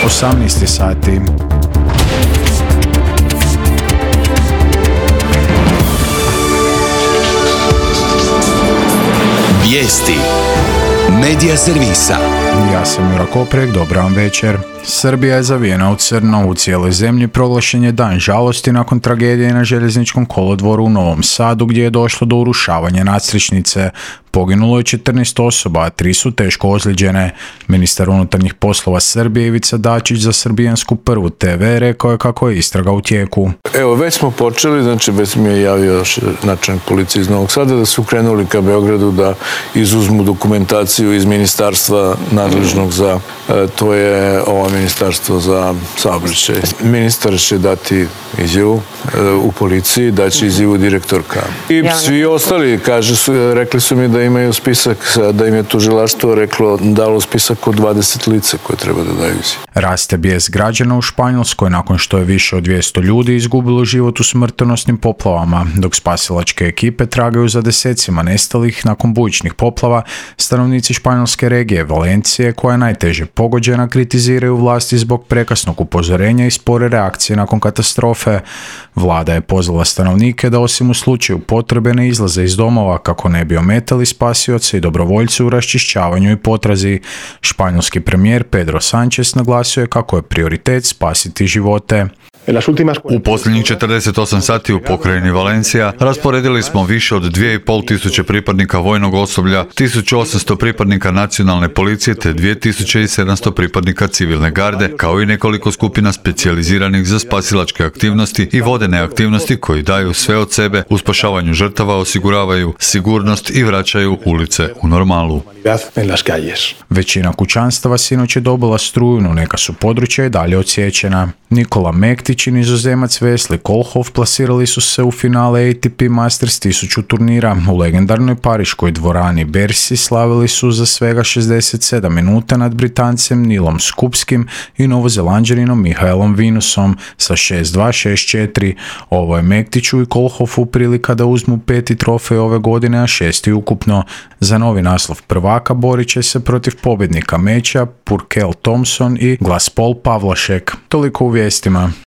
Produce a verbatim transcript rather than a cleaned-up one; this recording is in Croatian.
osamnaest sati. Vijesti Medija servisa. Ja sam Jura Koprek, dobar vam večer. Srbija je zavijena u crno, u cijeloj zemlji proglašen je dan žalosti nakon tragedije na željezničkom kolodvoru u Novom Sadu gdje je došlo do urušavanja nadstrešnice. Poginulo je četrnaest osoba, a tri su teško ozlijeđene. Ministar unutarnjih poslova Srbije Ivica Dačić za srbijansku Prvu te ve rekao je kako je istraga u tijeku. Evo, već smo počeli, znači već mi je javio načelnik policije iz Novog Sada da su krenuli ka Beogradu da izuzmu dokumentaciju iz ministarstva nadležnog za, to je ovo ministarstvo za saobraćaj. Ministar će dati izjavu u policiji, daće izjavu direktorka. I svi ostali, kaže su, rekli su mi da imaju spisak, da im je tužilaštvo reklo, dalo spisak od dvadeset lica koje treba da daju izjavu. Raste bijes građana u Španjolskoj nakon što je više od dvjesto ljudi izgubilo život u smrtonosnim poplavama, dok spasilačke ekipe tragaju za desecima nestalih nakon bujičnih poplava. Stanovnici španjolske regije Valencije, koja je najteže pogođena, kritiziraju vlasti zbog prekasnog upozorenja i spore reakcije nakon katastrofe. Vlada je pozvala stanovnike da osim u slučaju potrebe ne izlaze iz domova kako ne bi ometali spasioce i dobrovoljce u raščišćavanju i potrazi. Španjolski premijer Pedro Sánchez naglasio je kako je prioritet spasiti živote. U posljednjih četrdeset osam sati u pokrajini Valencija rasporedili smo više od dvije i pol tisuće pripadnika vojnog osoblja, tisuću osamsto pripadnika nacionalne policije te dvije tisuće sedamsto pripadnika civilne garde, kao i nekoliko skupina specijaliziranih za spasilačke aktivnosti i vodene aktivnosti koji daju sve od sebe u spašavanju žrtava, osiguravaju sigurnost i vraćaju ulice u normalu. Većina kućanstava sinoć je dobila struju, no neka su područja i dalje odsječena. Nikola Mektić i nizozemac Wesley Kohlhoff plasirali su se u finale A T P Masters tisuću turnira. U legendarnoj pariškoj dvorani Bercy slavili su za svega šezdeset sedam minuta nad Britancem Nilom Skupskim i Novozelanđaninom Mihaelom Vinusom sa šest dva šest četiri. Ovo je Mektiću i Kohlhoffu prilika da uzmu peti trofej ove godine, a šesti ukupno. Za novi naslov prvaka borit će se protiv pobjednika meča Purcell Thompson i Glaspol Pavlašek. Toliko u vijestima.